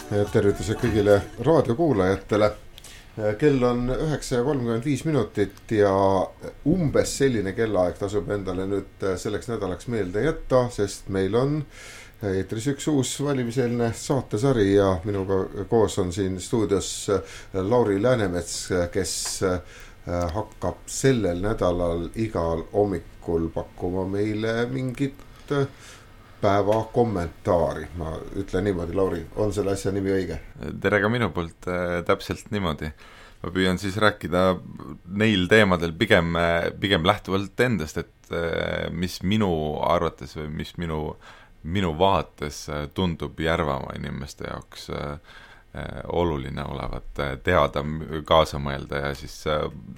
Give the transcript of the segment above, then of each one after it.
Tervitused kõigile raadiokuulajatele. Kell on 9:35 ja umbes selline kellaaeg tasub endale nüüd selleks nädalaks meelde jätta, sest meil on eetris üks uus valimiseelne saatesari ja minuga koos on siin stuudios Lauri Läänemets, kes hakkab sellel nädalal igal hommikul pakkuma meile mingit päeva kommentaari. Ma ütlen niimoodi, Lauri, on selle asja nimi õige? Tere ka minu poolt, täpselt niimoodi. Ma püüan siis rääkida neil teemadel pigem lähtuvalt endast, et mis minu arvates või mis minu vaates tundub Järvamaa inimeste jaoks oluline olevat teada, kaasa mõelda ja siis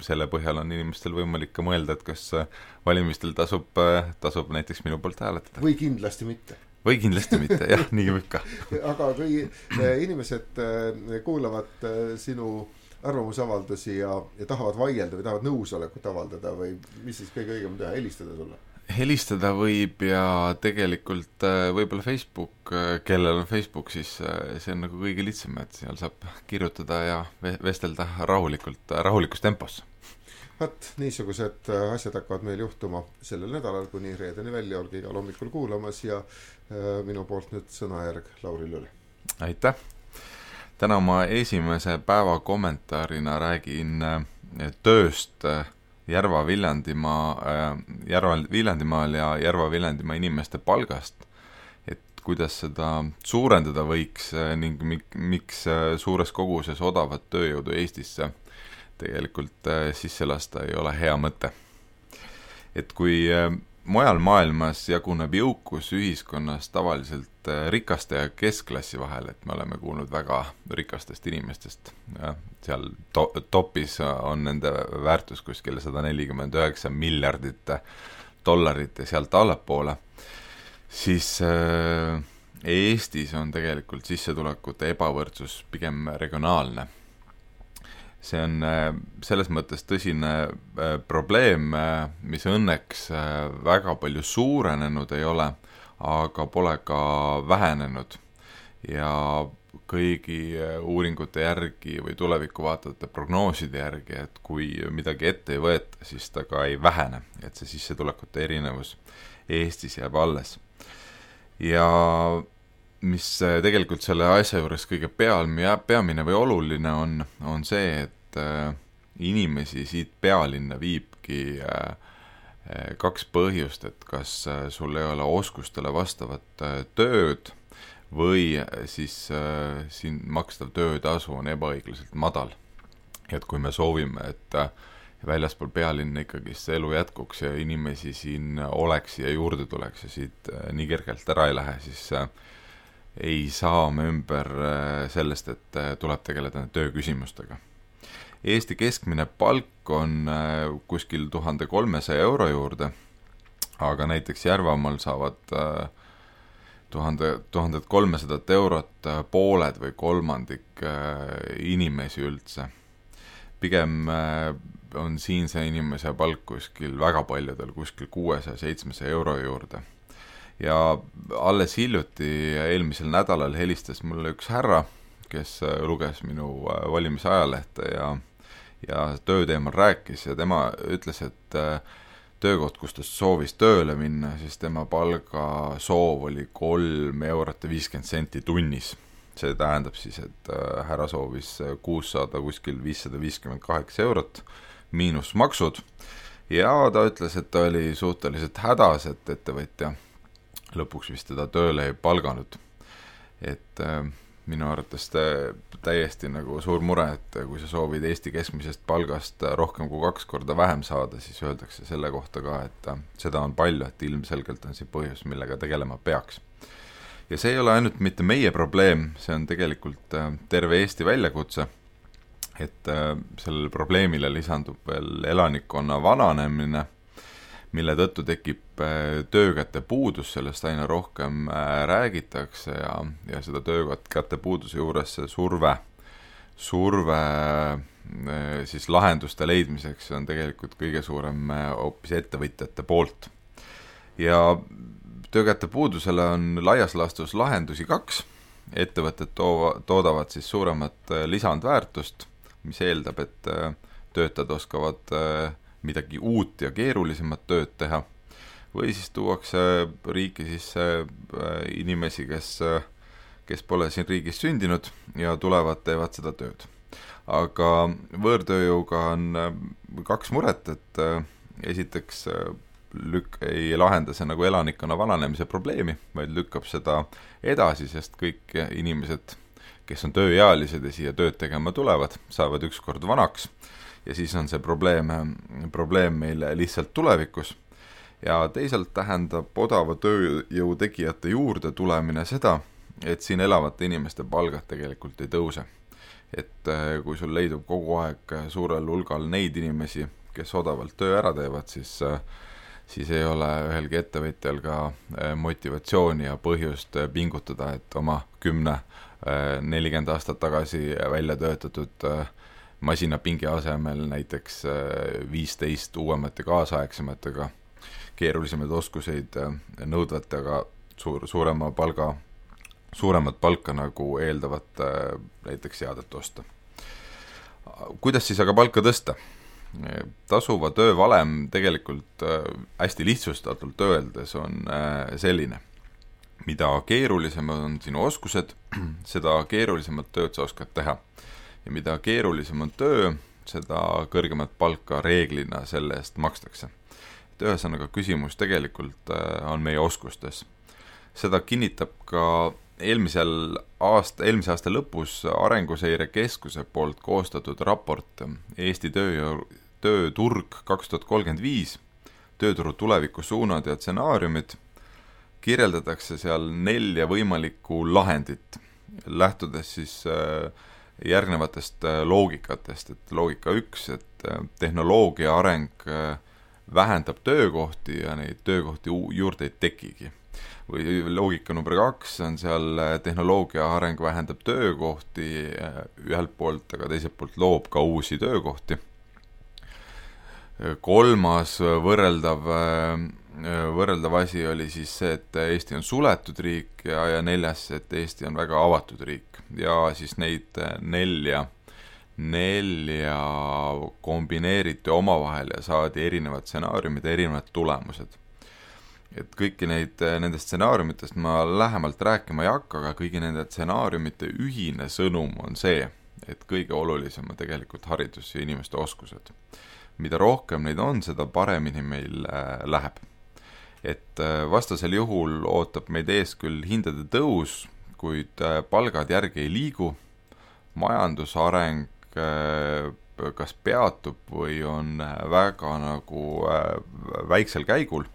selle põhjal on inimestel võimalik ka mõelda, et kas valimistel tasub näiteks minu poolt hääletada. Või kindlasti mitte. Või kindlasti mitte, jah, nii võib ka. Aga kui inimesed kuulavad sinu arvamusavaldusi ja tahavad vaielda või tahavad nõusolekut avaldada või mis siis kõige õigem teha, helistada sulle? Helistada võib ja tegelikult võib-olla Facebook, kellel on Facebook, siis see on nagu kõige lihtsam, et seal saab kirjutada ja vestelda rahulikus tempos. Vaat, niisugused asjad hakkavad meil juhtuma sellel nädalal, kuni reedeni välja olge igal hommikul kuulamas ja minu poolt nüüd sõnajärg Lauri Lülle. Aitäh! Täna ma esimese päeva kommentaarina räägin tööst Järva-Viljandimaal ja Järva-Viljandimaa inimeste palgast, et kuidas seda suurendada võiks ning miks suures koguses odavat tööjõudu Eestisse tegelikult sisse lasta ei ole hea mõte. Et kui mujal maailmas jaguneb jõukus ühiskonnas tavaliselt rikaste ja keskklassi vahel, et me oleme kuulnud väga rikastest inimestest, seal topis on nende väärtus kuskil 149 miljardit dollarit ja sealt allapoole, siis Eestis on tegelikult sissetulekute ebavõrdsus pigem regionaalne. See on selles mõttes tõsine probleem, mis õnneks väga palju suurenenud ei ole, aga pole ka vähenenud ja kõigi uuringute järgi või tulevikku vaatate prognooside järgi, et kui midagi ette ei võeta, siis ta ka ei vähene, et see sissetulekute erinevus Eestis jääb alles. Ja mis tegelikult selle asja juures kõige peamine või oluline on see, et inimesi siit pealinna viibki kaks põhjust, et kas sul ei ole oskustele vastavat tööd või siis siin makstav töötasu on ebaõiglaselt madal. Et kui me soovime, et väljaspool pealinna ikkagi see elu jätkuks ja inimesi siin oleks ja juurde tuleks ja siit nii kergelt ära ei lähe, siis ei saa me ümber sellest, et tuleb tegeleda tööküsimustega. Eesti keskmine palk on kuskil 1300 euro juurde, aga näiteks Järvamaal saavad 1300 eurot pooled või kolmandik inimesi üldse. Pigem on siinse inimese palk kuskil väga paljudel kuskil 600-700 euro juurde. Ja alles hiljuti eelmisel nädalal helistas mulle üks härra, kes luges minu valimisajalehte ja tööteemal rääkis ja tema ütles, et töökoht, kus ta soovis tööle minna, siis tema palga soov oli 3 eurot ja 50 senti tunnis. See tähendab siis, et härra soovis kuus saada kuskil 558 eurot miinus maksud ja ta ütles, et ta oli suhteliselt hädas, et ettevõtja lõpuks vist teda tööle ei palganud. Et minu arvates täiesti nagu suur mure, et kui sa soovid Eesti keskmisest palgast rohkem kui 2 korda vähem saada, siis öeldakse selle kohta ka, et seda on palju, et ilmselgelt on see põhjus, millega tegelema peaks. Ja see ei ole ainult mitte meie probleem, see on tegelikult terve Eesti väljakutse, et sellele probleemile lisandub veel elanikkonna vananemine, mille tõttu tekib töökäte puudus, sellest aina rohkem räägitakse ja seda töökäte puuduse juures surve siis lahenduste leidmiseks on tegelikult kõige suurem hoopis ettevõtjate poolt. Ja töökäte puudusele on laias laastus lahendusi 2. ettevõtted toodavad siis suuremat lisandväärtust, mis eeldab, et töötajad oskavad midagi uut ja keerulisemat tööd teha, või siis tuuakse riiki sisse inimesi, kes pole siin riigis sündinud ja tulevad, teevad seda tööd. Aga võõrtööjõuga on kaks muret, et esiteks ei lahenda see nagu elanikkonna vananemise probleemi, vaid lükkab seda edasi, sest kõik inimesed, kes on tööealised ja siia tööd tegema tulevad, saavad ükskord vanaks ja siis on see probleem meil lihtsalt tulevikus. Ja teisalt tähendab odava tööjõu tegijate juurde tulemine seda, et siin elavate inimeste palgad tegelikult ei tõuse. Et kui sul leidub kogu aeg suurel hulgal neid inimesi, kes odavalt töö ära teevad, siis ei ole ühelgi ettevõtjal ka motivatsiooni ja põhjust pingutada, et oma 10-40 aastat tagasi välja töötatud masinapingi asemel näiteks 15 uuemat ja kaasaegsematega keerulisemaid oskuseid nõudvatega suuremat palka nagu eeldavat näiteks seadet osta. Kuidas siis aga palka tõsta? Tasuva töö valem tegelikult hästi lihtsustatult öeldes on selline. Mida keerulisemad on sinu oskused, seda keerulisemat tööd sa oskad teha. Ja mida keerulisem on töö, seda kõrgemat palka reeglina selle eest makstakse. Ühesõnaga küsimus tegelikult on meie oskustes. Seda kinnitab ka eelmise aasta lõpus Arenguseire Keskuse poolt koostatud raport Eesti tööturg 2035, tööturu tuleviku suunad ja stsenaariumid. Kirjeldatakse seal 4 võimalikku lahendit, lähtudes siis järgnevatest loogikatest. Et loogika 1, et tehnoloogia areng vähendab töökohti ja neid töökohti juurde ei tekigi. Või loogika number 2 on seal tehnoloogia areng vähendab töökohti ühelt poolt, aga teiselt poolt loob ka uusi töökohti. 3. võrreldav asi oli siis see, et Eesti on suletud riik ja 4. et Eesti on väga avatud riik. Ja siis neid 4 kombineeriti omavahel ja saadi erinevad stsenaariumid ja erinevad tulemused. Et kõiki nendest stsenaariumitest ma lähemalt rääkima ei hakka, aga kõigi nende stsenaariumite ühine sõnum on see, et kõige olulisem on tegelikult haridus ja inimeste oskused. Mida rohkem neid on, seda paremini meil läheb. Et vastasel juhul ootab meid ees küll hindade tõus, kuid palgad järgi ei liigu, majandusareng kas peatub või on väga nagu väiksel käigul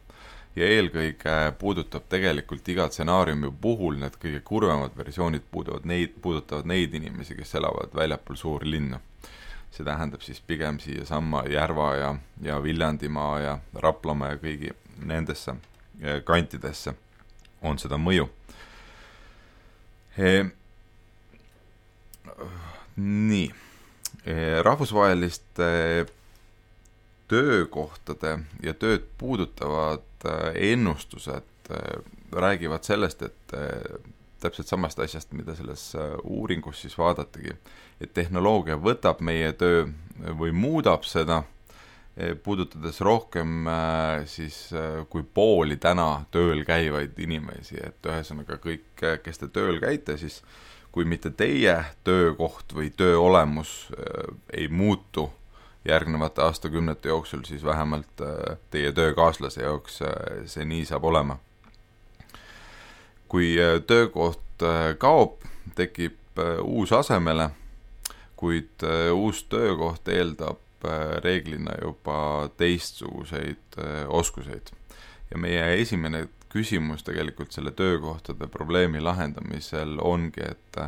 ja eelkõige puudutab tegelikult iga stsenaariumi puhul need kõige kurvemad versioonid puudutavad neid inimesi, kes elavad väljapool suuri linnu. See tähendab siis pigem siia samma Järva ja Viljandimaa ja Raplamaa ja kõigi nendesse kantidesse on seda mõju. Nii. Rahvusvaheliste töökohtade ja tööd puudutavad ennustused räägivad sellest, et täpselt samast asjast, mida selles uuringus siis vaadatagi, et tehnoloogia võtab meie töö või muudab seda, puudutades rohkem siis kui pooli täna tööl käivaid inimesi, et ühesõnaga kõik, kes te tööl käite, siis kui mitte teie töökoht või töö olemus ei muutu järgnevate aastakümnete jooksul, siis vähemalt teie töökaaslase jaoks see nii saab olema. Kui töökoht kaob, tekib uus asemele, kuid uus töökoht eeldab reeglina juba teistsuguseid oskuseid. Ja meie esimene küsimus tegelikult selle töökohtade probleemi lahendamisel ongi, et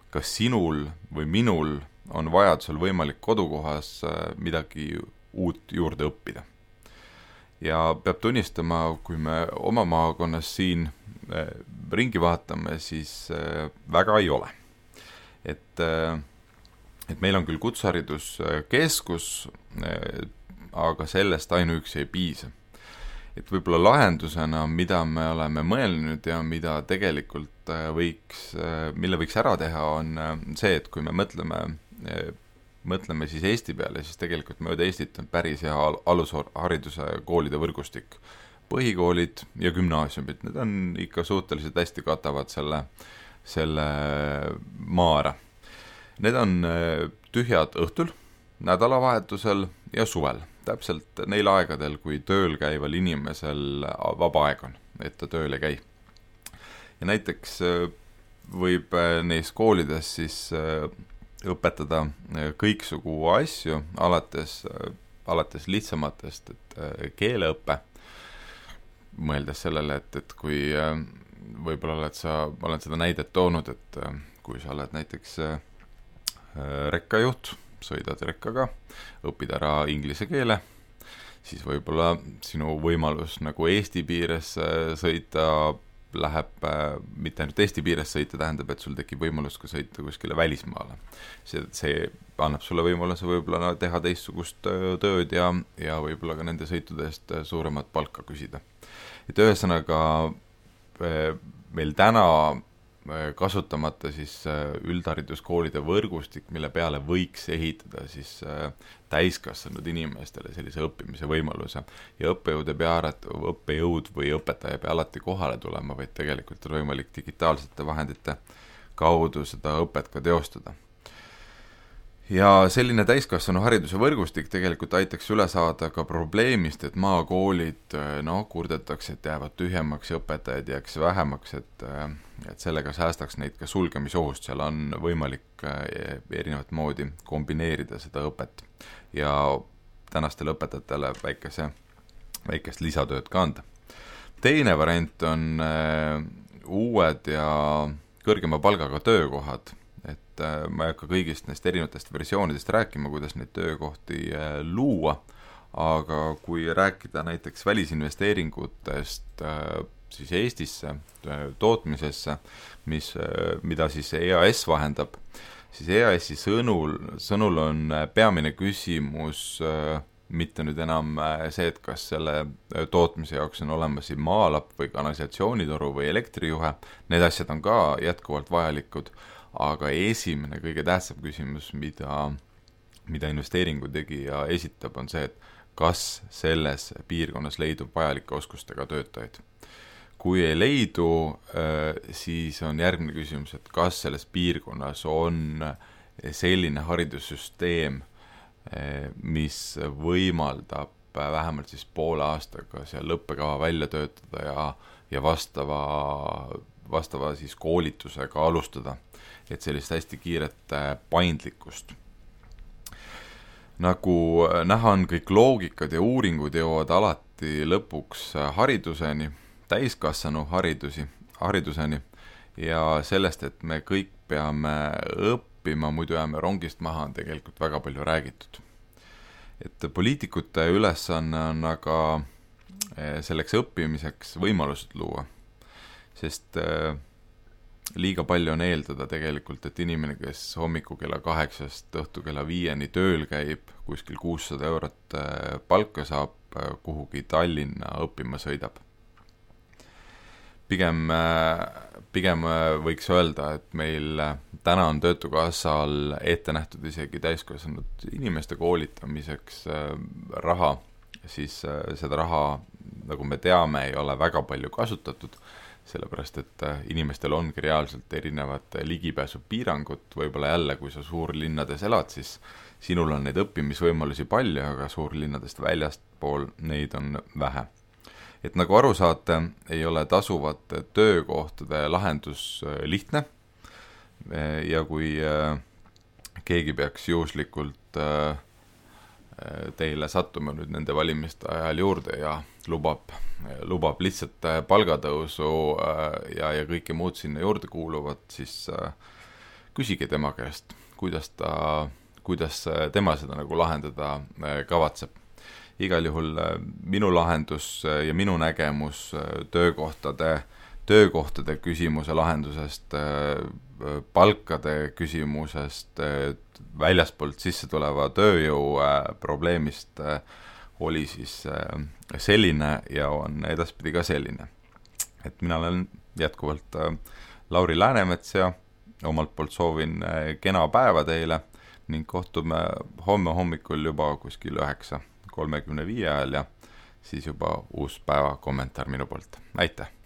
kas sinul või minul on vajadusel võimalik kodukohas midagi uut juurde õppida. Ja peab tunnistama, kui me oma maakonnas siin ringi vaatame, siis väga ei ole. Et meil on küll kutsehariduskeskus, aga sellest ainuüksi ei piisa. et võib-olla lahendusena, mida me oleme mõelnud ja mida tegelikult mille võiks ära teha, on see, et kui me mõtleme siis Eesti peale, siis tegelikult mööda Eestit on päris hea alushariduse koolide võrgustik. Põhikoolid ja gümnaasiumid, need on ikka suhteliselt hästi katavad selle maa ära. Need on tühjad õhtul, nädalavahetusel ja suvel. Täpselt neil aegadel, kui tööl käival inimesel vaba aeg on, et ta tööl ei käi. Ja näiteks võib neis koolides siis õpetada kõiksugu asju, alates lihtsamatest, et keeleõppe, mõeldes sellele, et kui võib-olla olen seda näidet toonud, et kui sa oled näiteks rekkajuht, sõidad rekkaga, õpid ära inglise keele, siis võib-olla sinu võimalus nagu Eesti piires sõita läheb, mitte ainult Eesti piires sõita, tähendab, et sul tekib võimalus ka sõita kuskile välismaale. See annab sulle võimaluse võib-olla teha teistsugust tööd ja võib-olla ka nende sõitude eest suuremat palka küsida. Et ühesõnaga meil täna kasutamata siis üldhariduskoolide võrgustik, mille peale võiks ehitada siis täiskasvanud inimestele sellise õppimise võimaluse. Ja õppejõud või õpetaja pea alati kohale tulema, vaid tegelikult on võimalik digitaalsete vahendite kaudu seda õpet ka teostada. Ja selline täiskasvanu hariduse võrgustik tegelikult aitaks üle saada ka probleemist, et maakoolid kurdetakse, et jäävad tühjemaks ja õpetajaid jääks vähemaks, et sellega säästaks neid ka sulgemisohust. Seal on võimalik erinevat moodi kombineerida seda õpet ja tänastele õpetajatele väikest lisatööd ka anda. Teine variant on uued ja kõrgema palgaga töökohad. Ma ei hakka kõigist neist erinevatest versioonidest rääkima, kuidas neid töökohti luua, aga kui rääkida näiteks välisinvesteeringutest siis Eestisse tootmisesse, mida siis EAS vahendab, siis EAS-i sõnul on peamine küsimus mitte nüüd enam see, et kas selle tootmise jaoks on olemas maalapp või kanalisatsioonitoru või elektrijuhe, need asjad on ka jätkuvalt vajalikud, aga esimene kõige tähtsam küsimus, mida investeeringutegija esitab, on see, et kas selles piirkonnas leidub vajalike oskustega töötajaid. Kui ei leidu, siis on järgmine küsimus, et kas selles piirkonnas on selline haridussüsteem, mis võimaldab vähemalt siis poole aastaga seal õppekava välja töötada ja vastava siis koolitusega alustada, et sellist hästi kiiret paindlikkust. Nagu näha on, kõik loogikad ja uuringud jõuavad alati lõpuks hariduseni, täiskasvanu hariduseni ja sellest, et me kõik peame õppima, muidu jääme rongist maha, on tegelikult väga palju räägitud. Et poliitikute ülesanne on aga selleks õppimiseks võimalused luua, sest liiga palju on eeldada tegelikult, et inimene, kes hommiku kella 8-st õhtu kella 5-ni tööl käib, kuskil 600 eurot palka saab, kuhugi Tallinna õppima sõidab. Pigem võiks öelda, et meil täna on Töötukassal ette nähtud isegi täiskasvanud inimeste koolitamiseks raha, siis seda raha, nagu me teame, ei ole väga palju kasutatud, sellepärast, et inimestel ongi reaalselt erinevad ligipääsupiirangud, võib-olla jälle, kui sa suurlinnades elad, siis sinul on neid õppimisvõimalusi palju, aga suurlinnadest väljaspool neid on vähe. Et nagu aru saate, ei ole tasuvate töökohtade lahendus lihtne ja kui keegi peaks juhuslikult teile sattuma nüüd nende valimiste ajal juurde ja lubab lihtsalt palgatõusu ja kõike muud sinna juurde kuuluvat, siis küsige tema käest, kuidas tema seda nagu lahendada kavatseb. Igal juhul minu lahendus ja minu nägemus töökohtade küsimuse lahendusest, palkade küsimusest, väljaspoolt sisse tuleva tööjõu probleemist oli siis selline ja on edaspidi ka selline. Et mina olen jätkuvalt Lauri Läänemets ja omalt poolt soovin kena päeva teile ning kohtume homme hommikul juba kuskil 9:35 ajal ja siis juba uus päeva kommentaar minu poolt. Aitäh!